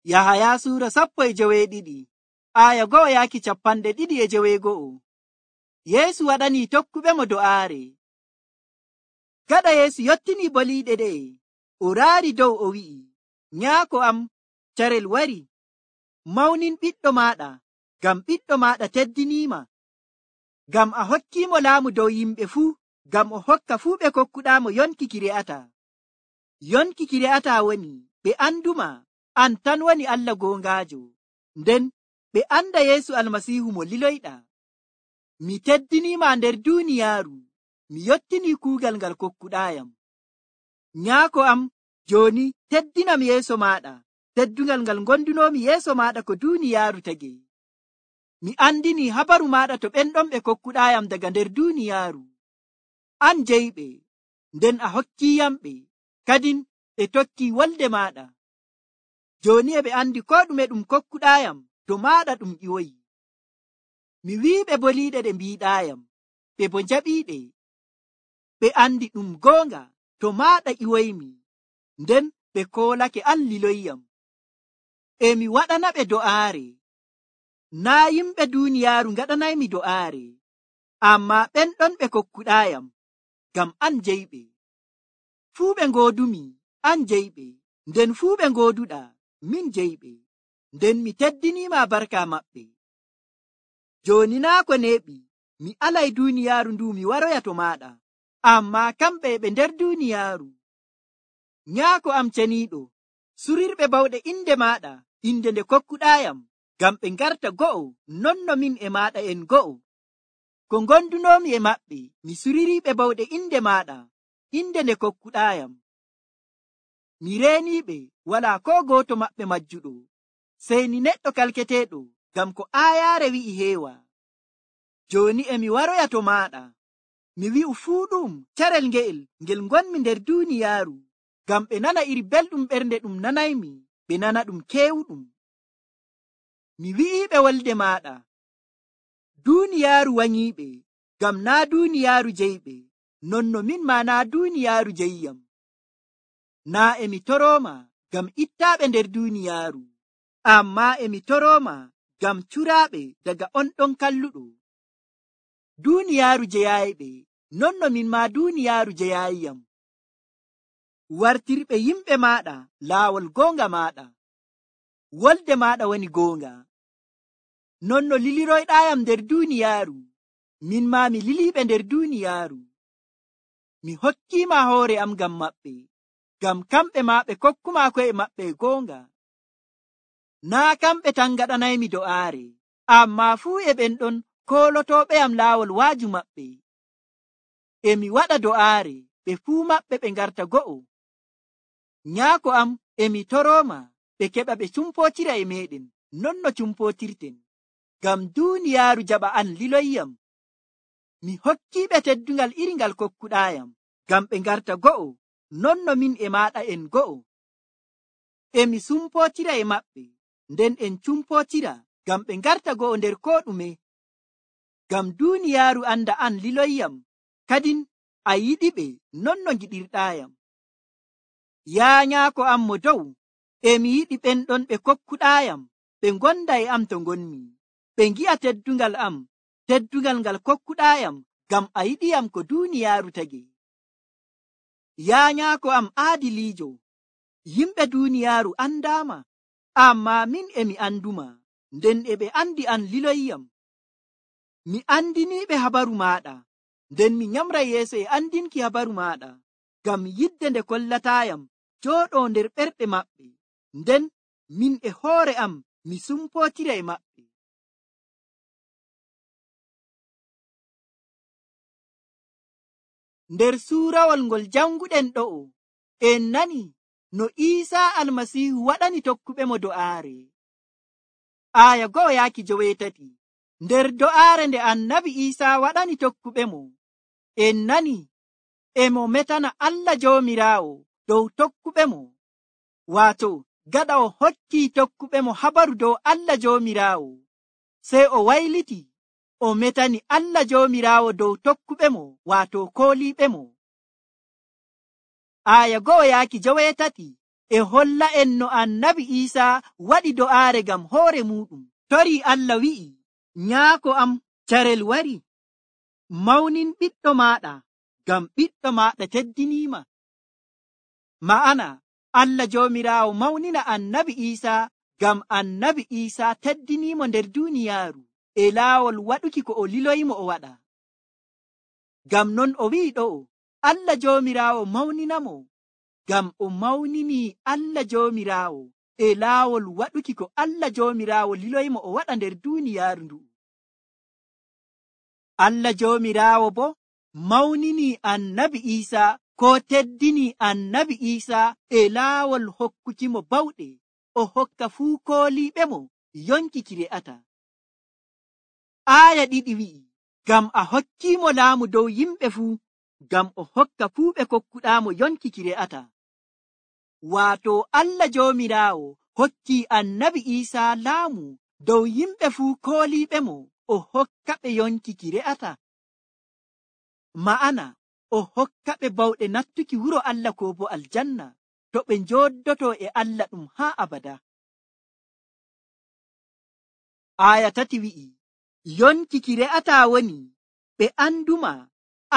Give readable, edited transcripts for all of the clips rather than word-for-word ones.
Yahaya sura 12 aya 2:2. Yeesu waɗani tokkuɓe mo do'aare. Gaɗa Yeesu yottini boliiɗe ɗe, o raari dow o wi'i, Nyaako am, carel wari. Mawnin ɓiɗɗo maaɗa, ngam ɓiɗɗo maaɗa teddiniima. Ngam a hokkiimo laamu dow yimɓe fuu, ngam o hokka fuu ɓe kokkuɗaamo yonki ki re'ataa. Yonki ki re'ataa woni ɓe anduma an tan woni Allah goongaajo, nden ɓe anda Yeesu Almasiihu mo liloyɗaa. Mi teddiniima nder duuniyaaru, mi yottini kuugal ngal kokkuɗaayam. Nyaako am, jooni teddinam yeeso maaɗa, teddungal ngal gondunoomi yeeso maaɗa ko duuniyaaru tagi. Mi andini habaru maaɗa to ɓen ɗon ɓe kokkuɗaayam daga nder duuniyaaru. An jeyiɓe, nden a hokkiyamɓe, kadin ɓe tokki wolde maaɗa. Jooni e ɓe andi ko ɗume ɗum kokkuɗaayam, to maaɗa ɗum ƴiwoyi. Mi wi'iɓe boliiɗe ɗe mbiiɗaayam, ɓe bo njaɓiiɗe. Ɓe andi ɗum goonga to maaɗa ƴiwoymi, nden ɓe koolake an liloyyam. E mi waɗanaɓe do'aare. Naa yimɓe duuniyaaru ngaɗanaymi do'aare, ammaa ɓen ɗon ɓe kokkuɗaayam, ngam an jeyiɓe. Fuu ɓe ngoodumi, an jeyiɓe, nden fuu ɓe ngooduɗaa, min jeyiɓe, nden mi teddiniima barka maɓɓe. Jooni naa ko neeɓi, mi alay duuniyaaru ndu mi waroya to maaɗa, ammaa kamɓe ɓe nder duuniyaaru. Nyaako am ceniiɗo, surirɓe bawɗe inde maaɗa, inde nde kokkuɗaayam, ngam ɓe ngarta go'o, non no min e maaɗa en go'o. Ko ngondunoomi e maɓɓe, mi suririiɓe bawɗe inde maaɗa, inde nde kokkuɗaayam. Mi reeniiɓe, walaa ko gooto maɓɓe majjuɗo, sey ni neɗɗo kalketeeɗo, ngam ko aayaare wi'i heewa. Jooni e mi waroya to maaɗa, mi wi'u fuu ɗum carel nge'el ngel ngonmi nder duuniyaaru, ngam ɓe nana iri belɗum ɓernde ɗum nanaymi, ɓe nana ɗum keewɗum. Mi wi'iiɓe wolde maaɗa, duuniyaaru wanyiiɓe, ngam naa duuniyaaru jeyiɓe, non no min maa naa duuniyaaru jeyiyam. Naa e mi torooma ngam ittaaɓe nder duuniyaaru, ammaa e mi torooma ngam curaaɓe daga on ɗon kalluɗo. Duuniyaaru jeyaayiɓe, non no min maa duuniyaaru jeyaayiyam. Wartirɓe yimɓe maaɗa laawol goonga maaɗa. Wolde maaɗa woni goonga. Non no liliroyɗaayam nder duuniyaaru, min maa mi liliiɓe nder duuniyaaru. Mi hokkiima hoore am ngam maɓɓe, ngam kamɓe maa ɓe kokkuma ko'e maɓɓe goonga. Naa kamɓe tan ngaɗanaymi do'aare, ammaa fuu e ɓen ɗon koolotooɓeyam laawol waaju maɓɓe. E mi waɗa do'aare, ɓe fuu maɓɓe ɓe ngarta go'o. Nyaako am, e mi torooma ɓe keɓa ɓe cumpootira e meeɗen, non no cumpootirten, ngam duuniyaaru jaɓa an liloyyam. Mi hokkiiɓe teddungal iri ngal kokkuɗaayam, ngam ɓe ngarta go'o, non no min e maaɗa en go'o. E mi sumpootira e maɓɓe, nden en cumpootira, ngam ɓe ngarta go'o nder koo ɗume. Ngam duuniyaaru anda an liloyyam, kadin a yiɗiɓe non no ngiɗirɗaayam. Yaa Nyaako am mo dow, e mi yiɗi ɓen ɗon ɓe kokkuɗaayam, ɓe ngonda e am to ngonmi, ɓe ngi'a teddungal am, teddungal ngal kokkuɗaayam, ngam a yiɗiyam ko duuniyaaru tagi. Yaa Nyaako am aadiliijo, yimɓe duuniyaaru andaama, ammaa min e mi anduma, nden e ɓe andi an liloyyam. Mi andiniiɓe habaru maaɗa, nden mi nyamra yeeso e andinki habaru maaɗa, ngam yidde nde kollataayam jooɗoo nder ɓerɗe maɓɓe, nden min e hoore am mi sumpootira e maɓɓe. Nder suurawol ngol janguɗen ɗo'o, en nani no Iisaa Almasiihu waɗani tokkuɓe mo do'aare. Aya 1:8. Nder do'aare nde annabi Iisaa waɗani tokkuɓe mo, en nani e mo metana Allah Joomiraawo dow tokkuɓe mo, waato gaɗa o hokki tokkuɓe mo habaru dow Allah Joomiraawo, sey o wayliti o metani Allah Joomiraawo dow tokkuɓe mo, waato kooliiɓe mo. Aya 1:8 e holla en no annabi Iisaa waɗi do'aare ngam hoore muɗum. Torii Allah wi'i, nyaako am carel wari, mawnin ɓiɗɗo maaɗa, ngam ɓiɗɗo maaɗa teddiniima. Ma'ana, Allah Joomiraawo mawnina annabi Iisaa ngam annabi Iisaa teddiniimo nder duuniyaaru e laawol waɗuki ko o liloyimo o waɗa. Ngam non o wi'i ɗo'o, Allah Joomiraawo mawninamo, ngam o mawninii Allah Joomiraawo e laawol waɗuki ko Allah Joomiraawo liloyimo o waɗa nder duuniyaaru ndu'u. Allah Joomiraawo boo mawninii annabi Iisaa, ko teddinii annabi Iisaa e laawol hokkukimo bawɗe o hokka fuu kooliiɓe mo yonki ki re'ata. Aaya 2 wi'i, ngam a hokkiimo laamu dow yimɓe fuu, ngam o hokka fuu ɓe kokkuɗaamo yonki ki re'ata. Waato Allah Joomiraawo hokkii annabi Iisaa laamu dow yimɓe fuu kooliiɓe mo o hokka ɓe yonki ki re'ata. Ma'ana, o hokka ɓe bawɗe nattuki wuro Allah ko bo aljanna, to ɓe njooɗdoto e Allah ɗum haa abada. Aaya 3 wi'i, yonki ki re'ata woni ɓe anduma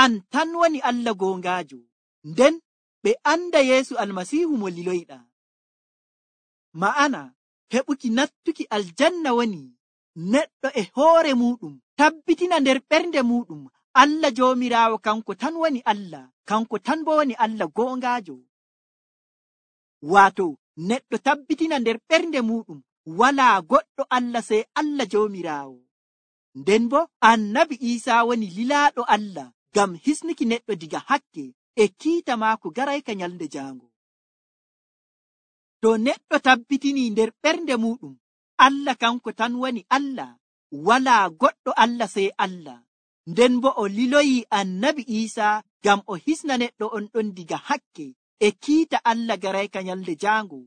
an tan woni Allah goongaajo, nden ɓe anda Yeesu Almasiihu mo liloyɗa. Ma'ana, heɓuki nattuki aljanna woni neɗɗo e hoore muɗum tabbitina nder ɓernde muɗum Allah Joomiraawo kanko tan woni Allah, kanko tan bo woni Allah goongaajo. Waato neɗɗo tabbitina nder ɓernde muɗum walaa goɗɗo Allah sey Allah Joomiraawo. Nden bo annabi Iisaa woni lilaaɗo Allah ngam hisnuki neɗɗo diga hakke e kiita maako garayka nyalde jaango. To neɗɗo tabbitinii nder ɓernde muɗum Allah kanko tan woni Allah, walaa goɗɗo Allah sey Allah, nden bo o liloyii annabi Iisaa ngam o hisna neɗɗo on ɗon diga hakke e kiita Allah garayka nyalde jaango,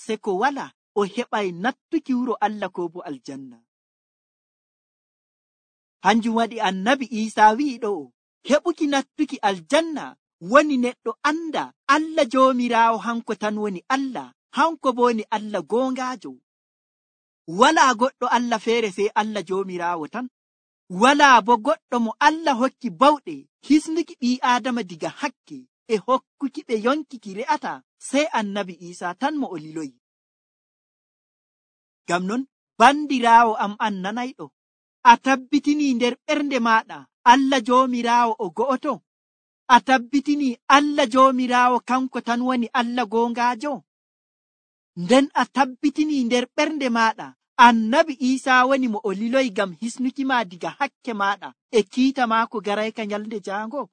se ko wala o heɓay nattuki wuro Allah ko bo aljanna. Hanjum waɗi annabi Iisaa wi'i ɗo'o, heɓuki nattuki aljanna woni neɗɗo anda Allah Joomiraawo hanko tan woni Allah, hanko bo woni Allah goongaajo. Walaa goɗɗo Allah feere sey Allah Joomiraawo tan. Walaa bo goɗɗo mo Allah hokki bawɗe hisnuki ɓii Aadama diga hakke e hokkuki ɓe yonki ki re'ata sey annabi Iisaa tan mo o liloyi. Ngam non, bandiraawo am an nanayɗo, a tabbitinii nder ɓernde maaɗa Allah Joomiraawo o go'oto? A tabbitinii Allah Joomiraawo kanko tan woni Allah goongaajo? Nden a tabbitinii nder ɓernde maaɗa annabi Iisaa woni mo o liloyi ngam hisnuki ma diga hakke maaɗa e kiita maako garayka nyalde jaango?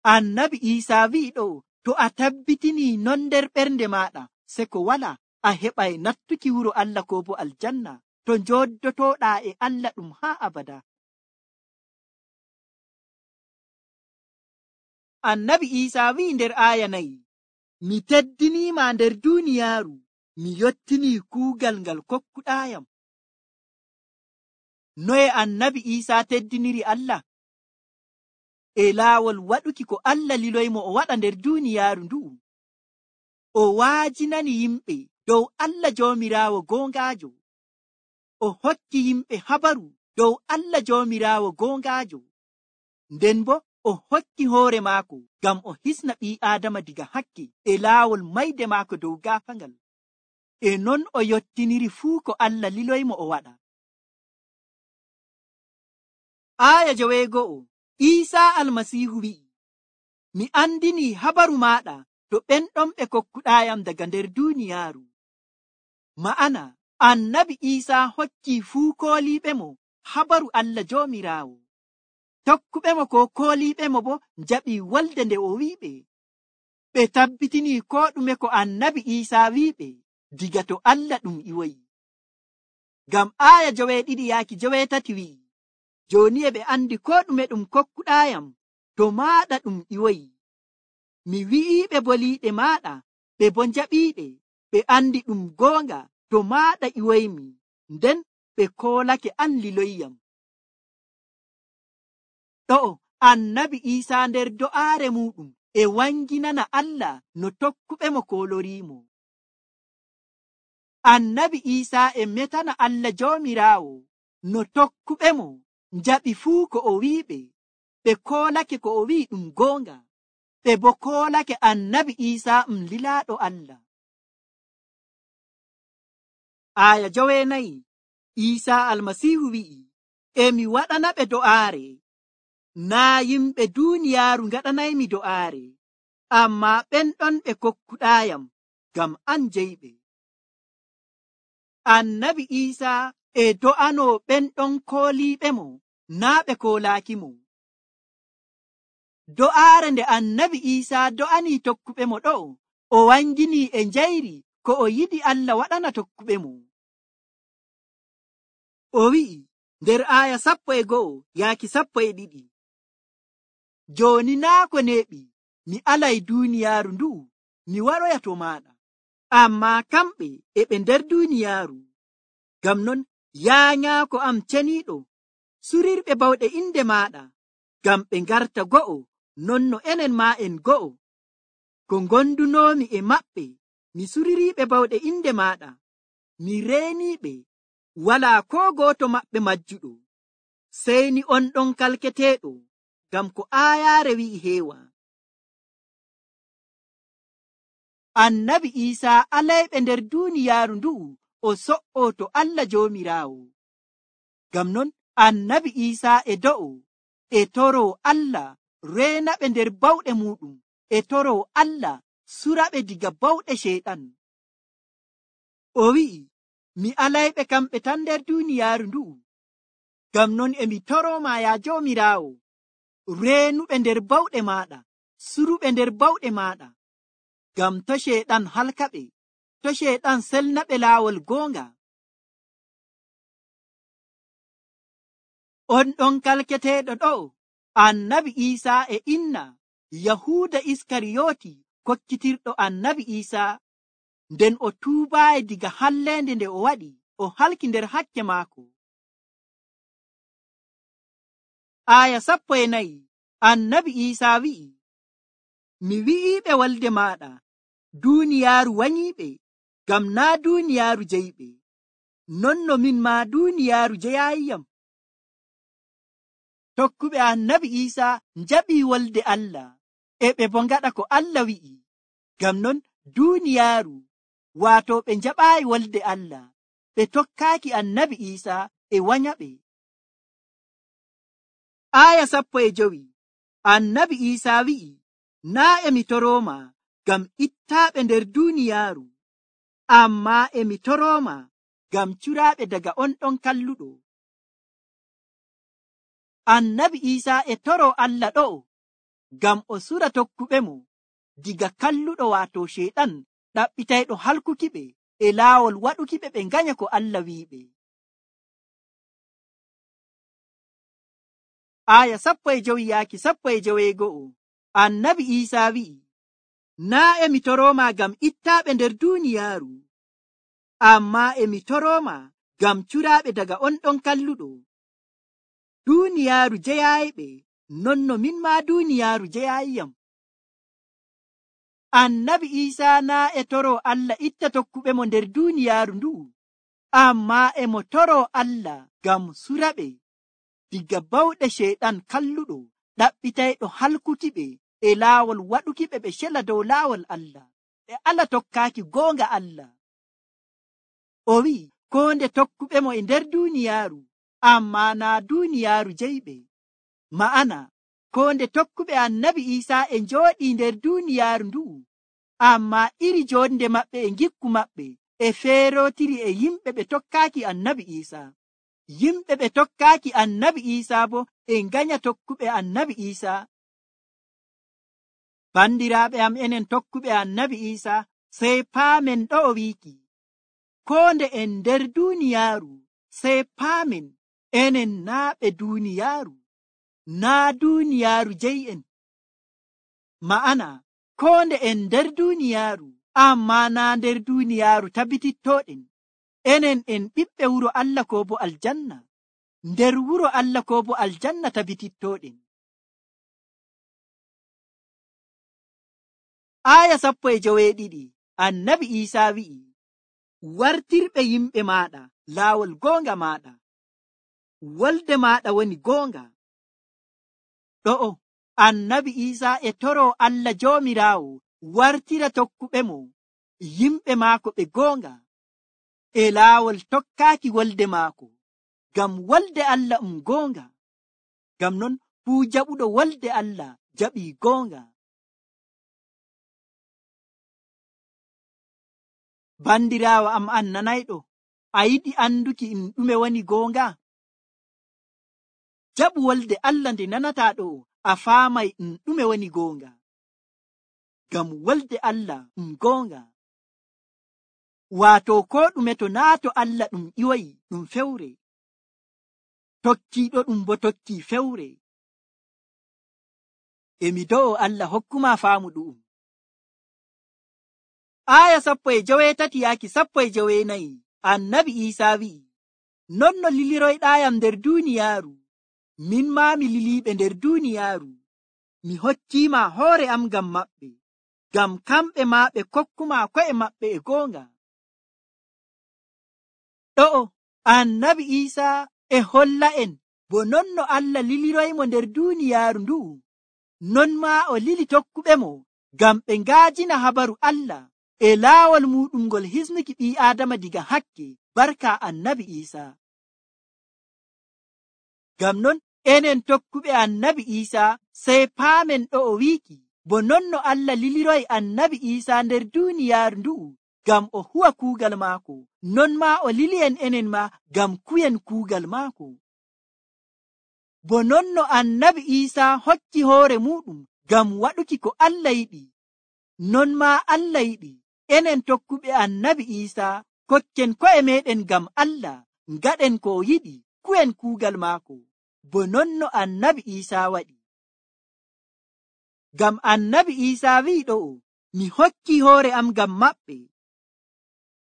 Annabi Iisaa wi'i ɗo, to a tabbitinii non nder ɓernde maaɗa, se ko wala a heɓay nattuki wuro Allah ko bo aljanna, to njooddotooɗaa e Allah ɗum haa abada. Annabi Iisaa wi'i nder aaya 4, mi teddiniima nder duuniyaaru, mi yottinii kuugal ngal kokkuɗaayam. Noye annabi Iisaa teddiniri Allah? E laawol waɗuki ko Allah liloymo o waɗa nder duuniyaaru ndu'u. O waajinani yimɓe dow Allah Joomiraawo goongaajo. O hokki yimɓe habaru dow Allah Joomiraawo goongaajo. Nden bo o hokki hoore maako ngam o hisna ɓii Aadama diga hakke e laawol mayde maako dow gaafangal. E non o yottiniri fuu ko Allah liloymo o waɗa. Aaya 9, Iisaa Almasiihu wi'i, mi andinii habaru maaɗa to ɓen ɗon ɓe kokkuɗaayam daga nder duuniyaaru. Ma'ana, annabi Iisaa hokkii fuu kooliiɓe mo habaru Allah Joomiraawo. Tokkuɓe mo ko kooliiɓe mo bo njaɓii wolde nde o wi'iɓe. Ɓe tabbitinii ko ɗume ko annabi Iisaa wi'iɓe diga to Allah ɗum iwoyi. Ngam aaya 9-9 wi'i, jooni e ɓe andi ko ɗume ɗum kokkuɗaayam to maaɗa ɗum iwoyi. Mi wi'iiɓe boliiɗe maaɗa, ɓe bo njaɓiiɗe, ɓe andi ɗum goonga to maaɗa iwoymi, nden ɓe koolake an liloyyam. Ɗo'o annabi Iisaa nder do'aare muɗum e wanginana Allah no tokkuɓe mo koloriimo. Annabi Iisaa e metana Allah Joomiraawo no tokkuɓe mo njaɓi fuu ko o wi'iɓe. Ɓe koolake ko o wi'i ɗum goonga, ɓe bo koolake Annabi Iisaa lilaaɗo Allah. Aya 9. Iisaa Almasiihu wi'i, emi waɗana ɓe do'aare. Naa yimɓe duuniyaaru ngaɗanaymi do'aare, ammaa ɓen ɗon ɓe kokkuɗaayam ngam an jeyɓe. Annabi Iisaa e do'anoo ɓen ɗon kooliiɓe mo, naa ɓe koolaaki mo. Do'aare nde Annabi Iisaa do'anii tokkuɓe mo ɗo, o wanginii e njayri ko o yiɗi Allah waɗana tokkuɓe mo. O wi'i nder aya 11-12, jooni naa ko neeɓi mi alay duuniyaaru ndu'u mi waroya to maaɗa, ammaa kamɓe e ɓe nder duuniyaaru. Ngam non yaa nyaako am ceniiɗo, surirɓe bawɗe inde maaɗa, ngam ɓe ngarta go'o non no enen maa en go'o. Ko ngondunoomi e maɓɓe mi suririiɓe bawɗe inde maaɗa, mi reeniiɓe, walaa koo gooto maɓɓe majjuɗo, sey ni on ɗon kalketeeɗo, ngam ko aayaare wi'i heewa. Annabi Iisaa alayɓe nder duuniyaaru ndu'u o so'oo to Allah Joomiraawo. Ngam non Annabi Iisaa e do'o e toroo Allah reenaɓe nder bawɗe muuɗum, e toroo Allah suraɓe diga bawɗe Ceyɗan. O wi'i, mi alayɓe kamɓe tan nder duuniyaaru ndu'u. Ngam non emi torooma yaa Joomiraawo, reenuɓe nder bawɗe maaɗa, suruɓe nder bawɗe maaɗa, ngam to Ceyɗan halkaɓe, to Ceyɗan selnaɓe laawol goonga. On ɗon kalketeeɗo ɗo, Annabi Iisaa e inna Yahuuda Iskariyooti kokkitirɗo Annabi Iisaa, nden o tuubaayi diga halleende nde o waɗi, o halki nder hakke maako. Aya 14. Annabi Iisaa wi'i, mi wi'iiɓe walde maaɗa, duuniyaaru wanyiiɓe, ngam naa duuniyaaru jeyɓe, non no min maa duuniyaaru jeyaayiyam. Tokkuɓe Annabi Iisaa njaɓii wolde Allah, e ɓe bo ngaɗa ko Allah wi'i. Ngam non duuniyaaru, waato ɓe njaɓaayi wolde Allah, ɓe tokkaaki Annabi Iisaa e wanyaɓe. Aya 15. Annabi Iisaa wi'i, naa emi torooma ngam ittaaɓe nder duuniyaaru, ammaa emi torooma ngam curaaɓe daga on ɗon kalluɗo. Annabi Iisaa e toroo Allah ɗo ngam o sura tokkuɓe mo diga kalluɗo waato Ceyɗan ɗaɓɓitayɗo halkukiɓe e laawol waɗukiɓe ɓe nganya ko Allah wi'iɓe. Aya 15-11. Annabi Iisaa wi'i, naa emi torooma ngam ittaaɓe nder duuniyaaru, ammaa emi torooma ngam curaaɓe daga on ɗon kalluɗo. Duuniyaaru jeyaayiɓe, non no min maa duuniyaaru jeyaayiyam. Annabi Iisaa naa e toroo Allah itta tokkuɓe mo nder duuniyaaru ndu'u, ammaa emo toroo Allah ngam suraɓe diga bawɗe Ceyɗan kalluɗo ɗaɓɓitayɗo halkukiɓe e laawol waɗukiɓe ɓe cela dow laawol Allah, ɓe ala tokkaaki goonga Allah. O wi'i, koo nde tokkuɓe mo e nder duuniyaaru, ammaa naa duuniyaaru jeyɓe. Ma'ana, koo nde tokkuɓe Annabi Iisaa e njooɗii nder duuniyaaru ndu'u, ammaa iri joonde maɓɓe e ngikku maɓɓe e feerootiri e yimɓe ɓe tokkaaki Annabi Iisaa. Yimɓe ɓe tokkaaki Annabi Iisaa bo e nganya tokkuɓe Annabi Iisaa. Bandiraaɓe am, enen tokkuɓe Annabi Iisaa, sey paamen ɗo o wiiki, koo nde en nder duuniyaaru, sey paamen enen naa ɓe duuniyaaru, naa duuniyaaru jey'en. Ma'ana, koo nde en nder duuniyaaru, ammaa naa nder duuniyaaru tabitittooɗen. Enen en ɓiɓɓe wuro Allah ko bo aljanna, nder wuro Allah ko bo aljanna tabitittooɗen. aya 12 annabi Isa wi'i, wartirɓe yimɓe maɗa laawol goonga maɗa, wolde maɗa woni goonga. Ɗo'o annabi Isa e toro Allah Joomiraawo wartira tokkuɓe mo yimɓe maako ɓe goonga e laawol tokkaaki wolde maako, ngam wolde Allah goonga. Ngam non fuu jaɓuɗo wolde Allah jaɓii goonga. Bandiraawo am annanayɗo, a yiɗi anduki ɗume woni goonga? Jaɓu wolde Allah nde nanata ɗo, a faamay ɗume woni goonga. Ngam wolde Allah goonga. Waato ko ɗume to naato Allah ɗum ƴiwoyi ɗum fewre, tokkiiɗo ɗum bo tokkii fewre. Emi do'o Allah hokkuma faamu ɗu'um. Aya 13 annabi Isa wi'i, non no liliroyɗayam nder duniyaaru, min maa mi liliiɓe nder duniyaaru. Mi hokkima hoore am ngam maɓɓe, ngam kamɓe maa ɓe kokkuma ko'e maɓɓe e goonga. Ɗo'o annabi Isa e holla en bo non no Allah liliroymo nder duniyaaru ndu'u, non maa o lili tokkuɓe mo ngam ɓe ngaajina habaru Allah e laawol muɗum ngol hisnuki ɓii Aadama diga hakke barka annabi Isa. Ngam non enen tokkuɓe annabi Isa sey paamen ɗo'o wiiki bo non no Allah liliroy annabi Isa nder duniyaaru ndu'u ngam o huwa kuugal maako, non maa o lili enen ma ngam kuyen kuugal maako. Bo non no annabi Isa hokki hoore muɗum ngam waɗuki ko Allah yiɗi, non maa Allah yiɗi enen tokkuɓe annabi Isa kokken ko'e meɗen ngam Allah, ngaɗen ko o yiɗi, kuyen kuugal maako, bo non no annabi Isa waɗi. Ngam annabi Isa wi'i ɗo'o, mi hokki hoore am ngam maɓɓe,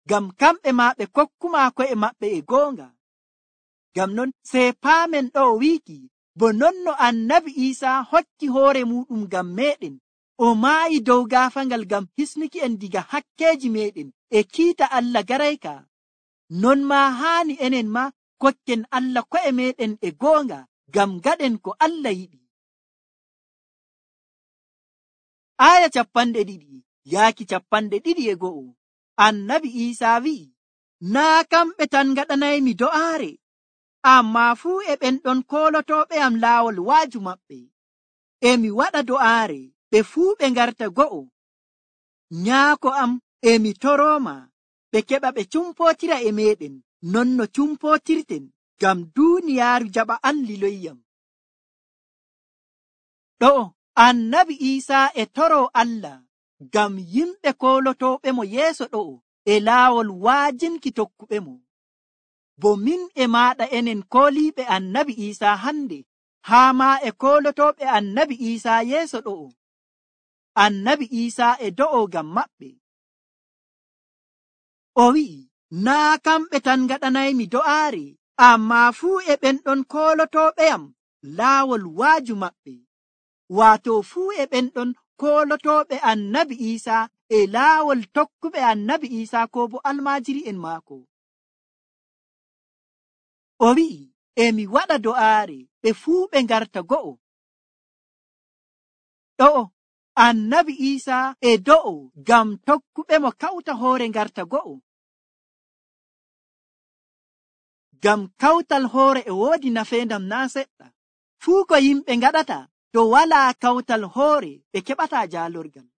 ngam kamɓe maa ɓe kokkuma ko'e maɓɓe e goonga. Ngam non sey paamen ɗo'o wiiki bo non no annabi Isa hokki hoore muɗum ngam meɗen, o maayi dow gaafangal ngam hisnuki en diga hakkeeji meɗen e kiita Allah garayka, non maa haani enen ma kokken Allah ko'e meɗen e goonga ngam gaɗen ko Allah yiɗi. Aya 221 annabi Isa wi'i, naa kamɓe tan gaɗanaymi do'aare, ammaa fuu e ɓen ɗon koolotooɓe am laawol waaju maɓɓe. Emi waɗa do'aare ɓe fuu ɓe ngarta go'o. Nyaako am emi torooma ɓe keɓa ɓe cumpootira e meɗen non no cumpootirten, ngam duuniyaaru jaɓa an liloyyam. Ɗo'o annabi Isa e toro Allah ngam yimɓe koolotooɓe mo yeeso ɗo'o e laawol waajinki tokkuɓe mo. Bo min e maaɗa enen kooliiɓe annabi Isa hande, haa maa e koolotooɓe annabi Isa yeeso ɗo'o. Annabi Isa e do'o ngam maɓɓe. O wi'i, naa kamɓe tan gaɗanaymi do'aare, ammaa fuu e ɓen ɗon koolotooɓe am laawol waaju maɓɓe. Waato fuu e ɓen ɗon koolotooɓe annabi Isa e laawol tokkuɓe annabi Isa ko bo almaajiri en maako. O wi'i, emi waɗa do'aare ɓe fuu ɓe ngarta go'o. Ɗo'o annabi Isa e do'o ngam tokkuɓe mo kawta hoore ngarta go'o. Ngam kawtal hoore e woodi nafeendam naa seɗɗa. Fuu ko yimɓe ngaɗata to walaa kawtal hoore ɓe keɓataa jaalorgal.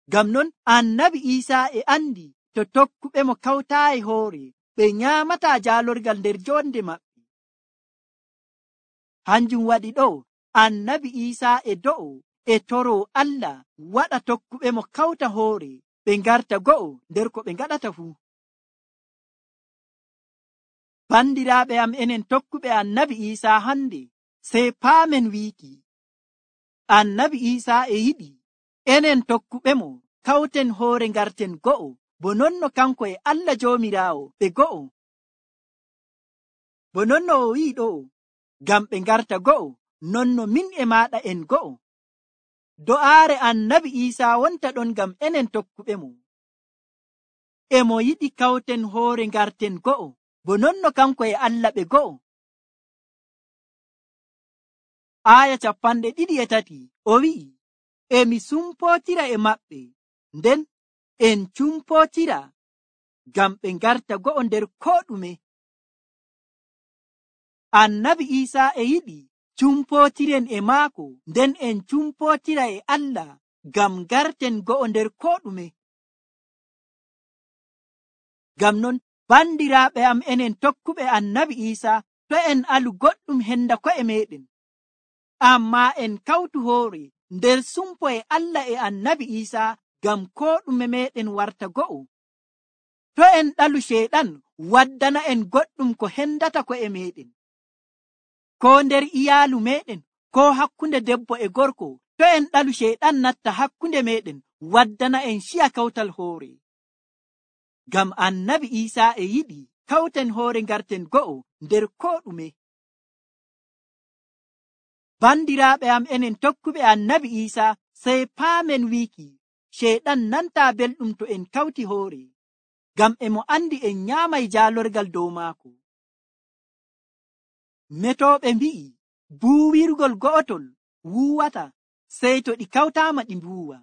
Ngam non annabi Isa e andi to tokkuɓe mo kawtaayi hoore ɓe nyaamataa jaalorgal nder jonde maɓɓe. Hanjum waɗi ɗo annabi Isa e do'o e toro Allah waɗa tokkuɓe mo kawta hoore ɓe ngarta go'o nder ko ɓe ngaɗata fuu. Bandiraaɓe am enen tokkuɓe annabi Isa hande, sey paamen wiiki annabi Isa e yiɗi enen tokkuɓe mo kawten hoore ngarten go'o, bo non no kanko e Allah Joomiraawo ɓe go'o. Bo non no o wi'i ɗo, ngam ɓe ngarta go'o, non no min e maaɗa en go'o. do'aare annabi Iisaa wonta ɗon ngam enen tokkuɓe mo. E mo yiɗi kawten hoore ngarten go'o, bo nonno kanko e Allah ɓe go'o. Aya 23 o wi'i, emi sumpootira e maɓɓe, nden en cumpootira ngam ɓe ngarta go'o nder koo ɗume. Annabi Iisaa e yiɗi cumpootiren e maako, nden en cumpootira e Allah ngam ngarten go'o nder koo ɗume. Ngam non, bandiraaɓe am, enen tokkuɓe annabi Iisaa, to en alu goɗɗum henda ko'e meɗen, ammaa en kawtu hoore nder sumpo e Allah e annabi Iisaa ngam koo ɗume meɗen warta go'o. To en ɗalu Ceyɗan waddana en goɗɗum ko hendata ko'e meɗen, ko nder iyaalu meɗen, ko hakkunde debbo e gorko. To en ɗalu Ceyɗan natta hakkunde meɗen waddana en ciya kawtal hoore. Ngam annabi Iisaa e yiɗi kawten hoore ngarten go'o nder koo ɗume. Bandiraaɓe am, enen tokkuɓe annabi Iisaa, sey paamen wiiki Ceyɗan nanta belɗum to en kawti hoore, ngam e mo andi en nyaamay jaalorgal dow maako. Metooɓe mbi'i buuwirgol go'otol wuuwata, sey to ɗi kawtaama ɗi mbuuwa.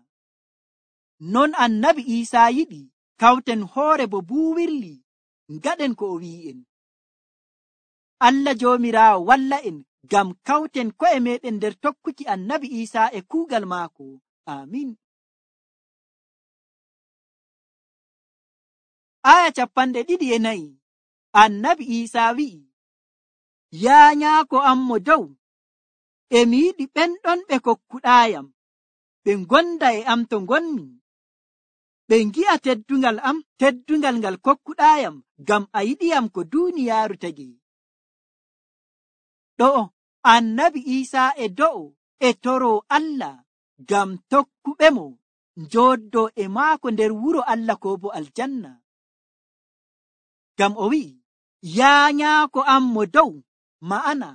Non annabi Iisaa yiɗi kawten hoore bo buuwirli, ngaɗen ko o wi'en. Allah Joomiraawo walla en ngam kawten ko'e meɗen nder tokkuki annabi Iisaa e kuugal maako. Amin. Aya 24 annabi Iisaa wi'i, yaa nyaako am mo dow, emi yiɗi ɓen ɗon ɓe kokkuɗaayam ɓe ngonda e am to ngonmi, ɓe ngi'a teddungal am, teddungal ngal kokkuɗaayam, ngam a yiɗiyam ko duuniyaaru tagi. Ɗo'o annabi Iisaa e do'o e toroo Allah ngam tokkuɓe mo njooddoo e maako nder wuro Allah ko bo aljanna. Ngam o wi'i, yaa nyaako am mo dow, ma'ana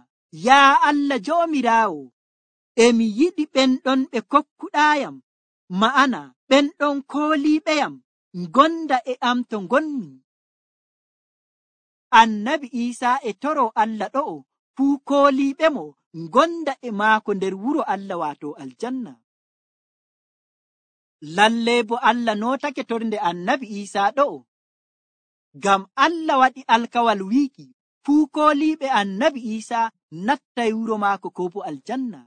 yaa Allah Joomiraawo, emi yiɗi ɓen ɗon ɓe kokkuɗaayam, ma'ana ɓen ɗon kooliiɓeyam, ngonda e am to ngonmi. Annabi Iisaa e toroo Allah ɗo'o fuu kooliiɓe mo ngonda e maako nder wuro Allah waato aljanna. Lallee bo Allah nootake torde annabi Iisaa ɗo'o, ngam Allah waɗi alkawal wiiki fuu kooliiɓe annabi Iisaa nattay wuro maako ko bo aljanna.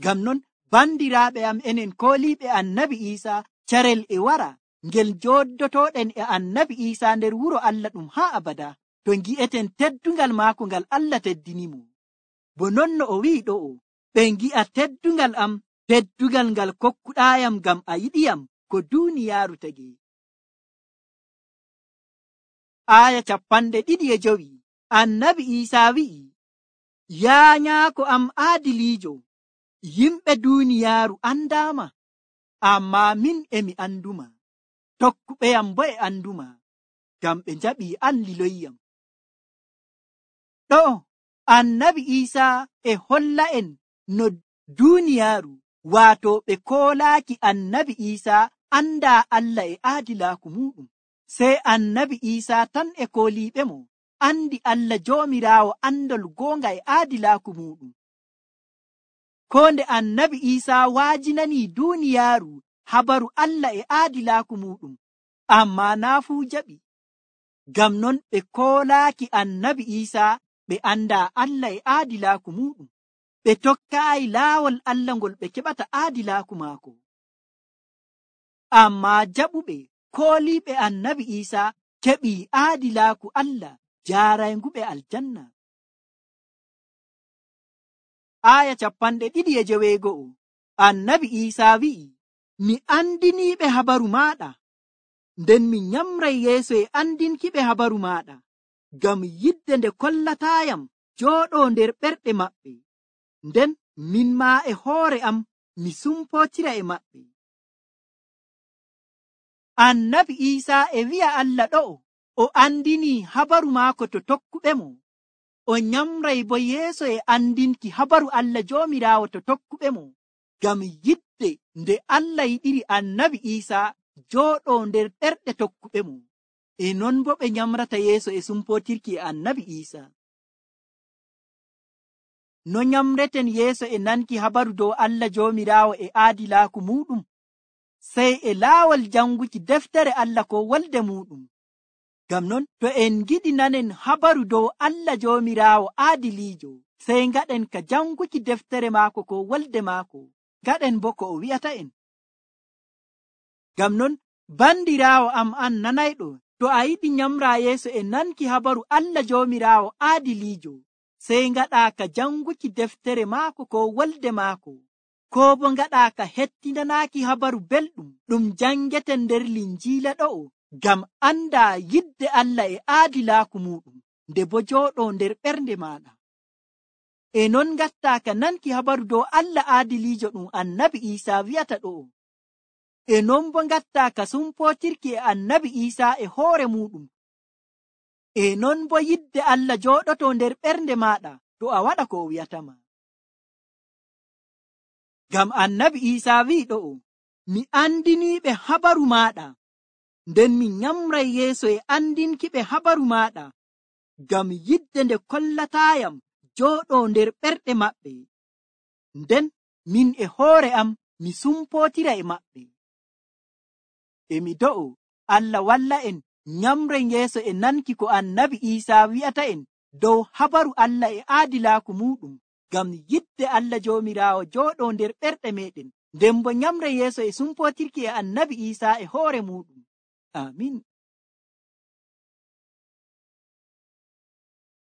Ngam non, bandiraaɓe am, enen kooliiɓe annabi Iisaa, carel e wara ngel jooddotooɗen e annabi Iisaa nder wuro Allah ɗum haa abada, to ngi'eten teddungal maako ngal Allah teddinimo. Bo non no o wi'i ɗo'o, ɓe ngi'a teddungal am, teddungal ngal kokkuɗaayam ngam a yiɗiyam ko duuniyaaru tagi. Aya 25 annabi Iisaa wi'i, yaa nyaako am aadiliijo, yimɓe duuniyaaru andaama, ammaa min emi anduma, tokkuɓeyam bo e anduma, ngam ɓe njaɓii an liloyyam. Ɗo'o annabi Iisaa e holla en no duuniyaaru, waato ɓe koolaaki annabi Iisaa andaa Allah e aadilaaku muɗum, sey annabi Iisaa tan e kooliiɓe mo andi Allah Joomiraawo andol goonga e aadilaaku muɗum. Ko nde annabi Iisaa waajinanii duuniyaaru habaru Allah e aadilaaku muɗum, ammaa naa fuu jaɓi. Ngam non ɓe koolaaki annabi Iisaa ɓe andaa Allah e aadilaaku muɗum, ɓe tokkaayi laawol Allah ngol ɓe keɓata aadilaaku maako. Ammaa jaɓuɓe kooliiɓe annabi Iisaa keɓii aadilaaku Allah jaaraynguɓe aljanna. Aya 26 annabi Iisaa wi'i, mi andiniiɓe habaru maaɗa, nden mi nyamray yeeso e andinkiɓe habaru maaɗa, ngam yidde nde kollataayam jooɗoo nder ɓerɗe maɓɓe, nden min maa e hoore am mi sumpootira e maɓɓe. Annabi Iisaa e wi'a Allah ɗo'o o andinii habaru maako to tokkuɓe mo, o nyamray bo yeeso e andinki habaru Allah Joomiraawo to tokkuɓe mo, ngam yidde nde Allah yiɗiri annabi Iisaa jooɗo nder ɓerɗe tokkuɓe mo. E non bo ɓe nyamrata yeeso e sumpotirki e annabi Iisaa. No nyamreten yeeso e nanki habaru dow Allah Joomiraawo e aadilaaku muɗum? Sey e laawol janguki deftere Allah ko wolde muɗum. Ngam non to en giɗi nanen habaru dow Allah Joomiraawo aadiliijo, sey ngaɗen ka janguki deftere maako ko wolde maako, ngaɗen bo ko o wi'ata en. Ngam non bandiraawo am an nanayɗo, to a yiɗi nyamra yeeso e nanki habaru Allah Joomiraawo aadiliijo, sey ngaɗa ka janguki deftere maako ko wolde maako, ko bo ngaɗa ka hettindanaaki habaru belɗum ɗum jangeten nder linjiila ɗo'o, ngam anda yidde Allah e aadilaaku muɗum, nde bo jooɗo nder ɓernde maɗa. E non ngatta ka nanki habaru dow Allah aadiliijo ɗum annabi Iisaa wi'ata ɗo'o. E non bo ngatta ka sumpotirki e annabi Iisaa e hoore muɗum. E non bo yidde Allah jooɗoto nder ɓernde maɗa to a waɗa ko o wi'atama. Ngam annabi Iisaa wi'i ɗo'o, mi andiniiɓe habaru maɗa, nden mi nyamray yeeso e andinkiɓe habaru maɗa, ngam yidde nde kollatayam jooɗo nder ɓerɗe maɓɓe, nden min e hoore am mi sumpotira e maɓɓe. E mi do'o Allah walla en nyamren yeeso e nanki ko annabi Iisaa wi'ata en dow habaru Allah e aadilaaku muɗum, ngam yidde Allah Joomiraawo jooɗo nder ɓerɗe meɗen, nden bo nyamre yeeso e sumpotirki e annabi Iisaa e hoore muɗum. Amin.